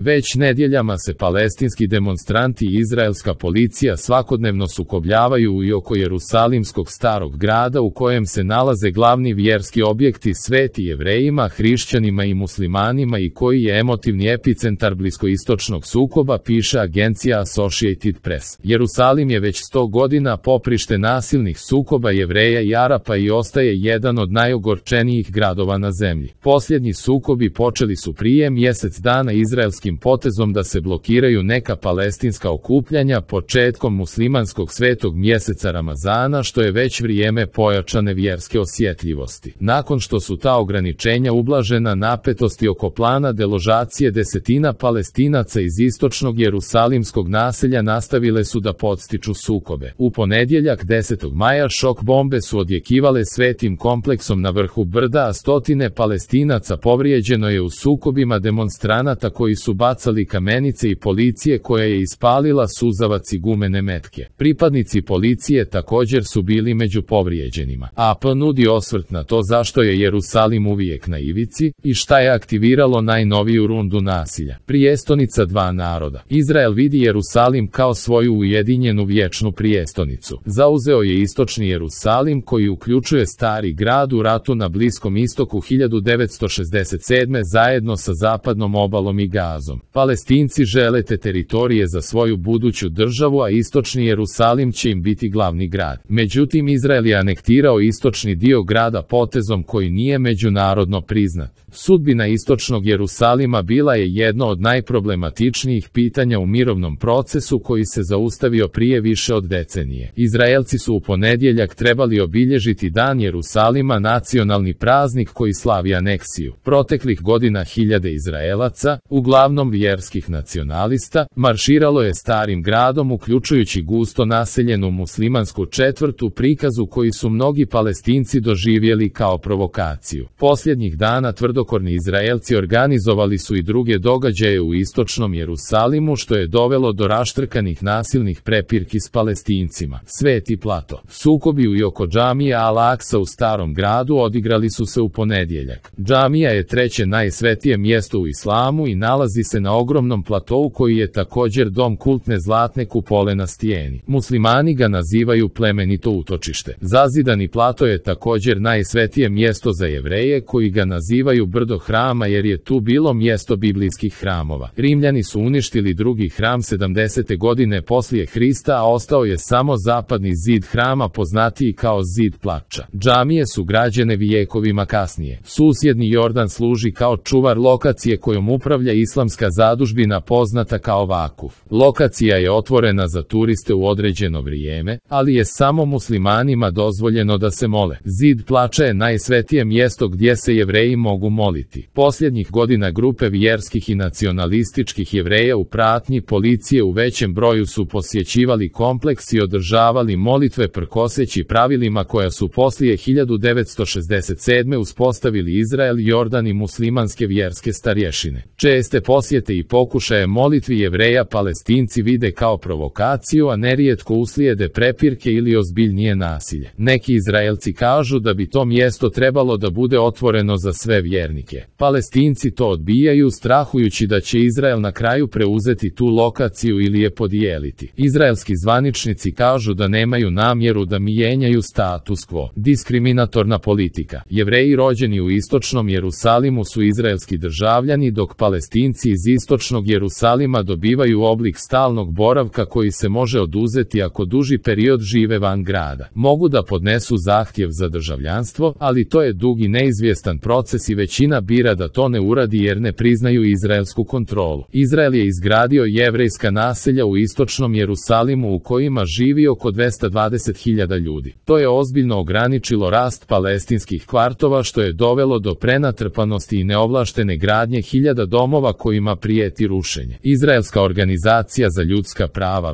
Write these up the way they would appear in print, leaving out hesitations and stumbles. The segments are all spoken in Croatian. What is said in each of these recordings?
Već nedjeljama se palestinski demonstranti i izraelska policija svakodnevno sukobljavaju i oko Jerusalimskog starog grada u kojem se nalaze glavni vjerski objekti sveti Jevrejima, hrišćanima i muslimanima i koji je emotivni epicentar bliskoistočnog sukoba, piše agencija Associated Press. Jerusalim je već 100 godina poprište nasilnih sukoba Jevreja i Arapa i ostaje jedan od najogorčenijih gradova na zemlji. Posljednji sukobi počeli su prije mjesec dana izraelskim potezom da se blokiraju neka palestinska okupljanja početkom muslimanskog svetog mjeseca Ramazana, što je već vrijeme pojačane vjerske osjetljivosti. Nakon što su ta ograničenja ublažena, napetosti oko plana deložacije desetina Palestinaca iz istočnog jerusalimskog naselja nastavile su da podstiču sukobe. U ponedjeljak 10. maja šok bombe su odjekivale svetim kompleksom na vrhu brda, a stotine Palestinaca povrijeđeno je u sukobima demonstranata koji su bacali kamenice i policije koja je ispalila suzavac i gumene metke. Pripadnici policije također su bili među povrijeđenima. AP nudi osvrt na to zašto je Jerusalim uvijek na ivici i šta je aktiviralo najnoviju rundu nasilja. Prijestolnica dva naroda. Izrael vidi Jerusalim kao svoju ujedinjenu vječnu prijestolnicu. Zauzeo je istočni Jerusalim koji uključuje stari grad u ratu na Bliskom istoku 1967. zajedno sa zapadnom obalom i Gazom. Palestinci žele te teritorije za svoju buduću državu, a istočni Jerusalim će im biti glavni grad. Međutim, Izrael je anektirao istočni dio grada potezom koji nije međunarodno priznat. Sudbina istočnog Jerusalima bila je jedno od najproblematičnijih pitanja u mirovnom procesu koji se zaustavio prije više od decenije. Izraelci su u ponedjeljak trebali obilježiti Dan Jerusalima, nacionalni praznik koji slavi aneksiju. Proteklih godina hiljade Izraelaca, uglavnom vjerskih nacionalista, marširalo je starim gradom uključujući gusto naseljenu muslimansku četvrtu, prikazu koji su mnogi Palestinci doživjeli kao provokaciju. Posljednjih dana tvrdokorni Izraelci organizovali su i druge događaje u istočnom Jerusalimu, što je dovelo do raštrkanih nasilnih prepirki s Palestincima. Sveti plato. Sukobi u i oko džamije Al-Aksa u starom gradu odigrali su se u ponedjeljak. Džamija je treće najsvetije mjesto u islamu i nalazi se na ogromnom platou koji je također dom kultne zlatne kupole na stijeni. Muslimani ga nazivaju plemenito utočište. Zazidani plato je također najsvetije mjesto za Jevreje koji ga nazivaju brdo hrama jer je tu bilo mjesto biblijskih hramova. Rimljani su uništili drugi hram 70. godine poslije Hrista, a ostao je samo zapadni zid hrama poznatiji kao zid plača. Džamije su građene vijekovima kasnije. Susjedni Jordan služi kao čuvar lokacije kojom upravlja islamska zadužbina poznata kao Vakuf. Lokacija je otvorena za turiste u određeno vrijeme, ali je samo muslimanima dozvoljeno da se mole. Zid plača je najsvetije mjesto gdje se Jevreji mogu moliti. Posljednjih godina grupe vjerskih i nacionalističkih Jevreja u pratnji policije u većem broju su posjećivali kompleks i održavali molitve prkoseći pravilima koja su poslije 1967. uspostavili Izrael, Jordan i muslimanske vjerske starješine. Česte posjete i pokušaje molitvi Jevreja Palestinci vide kao provokaciju, a nerijetko uslijede prepirke ili ozbiljnije nasilje. Neki Izraelci kažu da bi to mjesto trebalo da bude otvoreno za sve vjernike. Palestinci to odbijaju, strahujući da će Izrael na kraju preuzeti tu lokaciju ili je podijeliti. Izraelski zvaničnici kažu da nemaju namjeru da mijenjaju status quo. Diskriminatorna politika. Jevreji rođeni u istočnom Jerusalimu su izraelski državljani, dok Palestinci iz istočnog Jerusalima dobivaju oblik stalnog boravka koji se može oduzeti ako duži period žive van grada. Mogu da podnesu zahtjev za državljanstvo, ali to je dug i neizvjestan proces i većina bira da to ne uradi jer ne priznaju izraelsku kontrolu. Izrael je izgradio jevrejska naselja u istočnom Jerusalimu u kojima živi oko 220.000 ljudi. To je ozbiljno ograničilo rast palestinskih kvartova, što je dovelo do prenatrpanosti i neovlaštene gradnje hiljada domova kojima prijeti rušenje. Izraelska organizacija za ljudska prava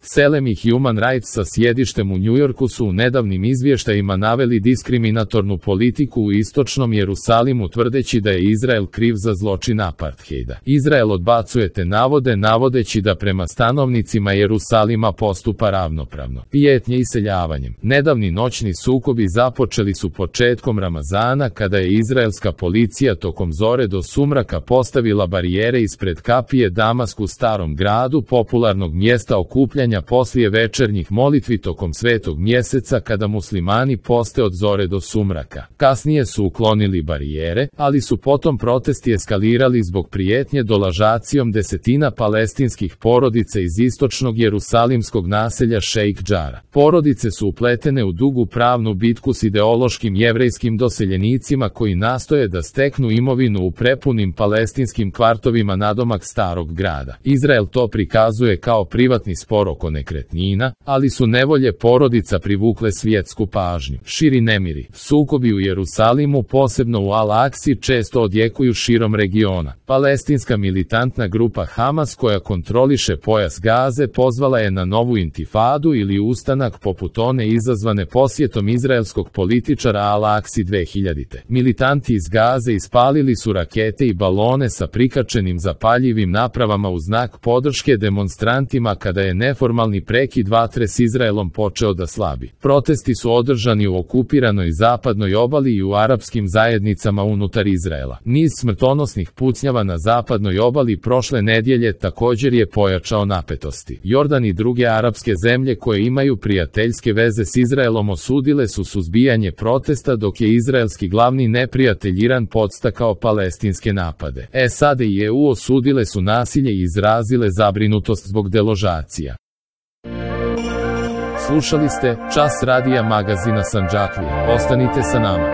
Selem i Human Rights sa sjedištem u Njujorku su u nedavnim izvještajima naveli diskriminatornu politiku u istočnom Jerusalimu tvrdeći da je Izrael kriv za zločin apartheida. Izrael odbacuje te navode navodeći da prema stanovnicima Jerusalima postupa ravnopravno. Prijetnje iseljavanjem. Nedavni noćni sukobi započeli su početkom Ramazana kada je izraelska policija tokom zore do sumraka postavila barijere ispred kapije Damask u Starom gradu, popularnog mjesta okupljanja poslije večernjih molitvi tokom svetog mjeseca kada muslimani poste od zore do sumraka. Kasnije su uklonili barijere, ali su potom protesti eskalirali zbog prijetnje dolažacijom desetina palestinskih porodica iz istočnog jerusalimskog naselja Šejk Džara. Porodice su upletene u dugu pravnu bitku s ideološkim jevrejskim doseljenicima koji nastoje da steknu imovinu u prepunim palestinskim kvartovima nadomak Starog grada. Izrael to prikazuje kao privatni spor oko nekretnina, ali su nevolje porodica privukle svjetsku pažnju. Širi nemiri. Sukobi u Jerusalimu, posebno u Al-Aksi, često odjekuju širom regiona. Palestinska militantna grupa Hamas koja kontroliše pojas Gaze pozvala je na novu intifadu ili ustanak poput one izazvane posjetom izraelskog političara Al-Aksi 2000. Militanti iz Gaze ispalili su rakete i balone sa prikačenim zapaljivim napravama u znak podrške demonstrantima kada je neformalni prekid vatre s Izraelom počeo da slabi. Protesti su održani u okupiranoj zapadnoj obali i u arapskim zajednicama unutar Izraela. Niz smrtonosnih pucnjava na zapadnoj obali prošle nedjelje također je pojačao napetosti. Jordan i druge arapske zemlje koje imaju prijateljske veze s Izraelom osudile su suzbijanje protesta dok je izraelski glavni neprijatelj Iran podstakao palestinske napade. SAD i EU osudile su nasilje i izrazile zabrinutost zbog deložacija. Slušali ste Čas radija magazina Sandžaklija. Ostanite sa nama.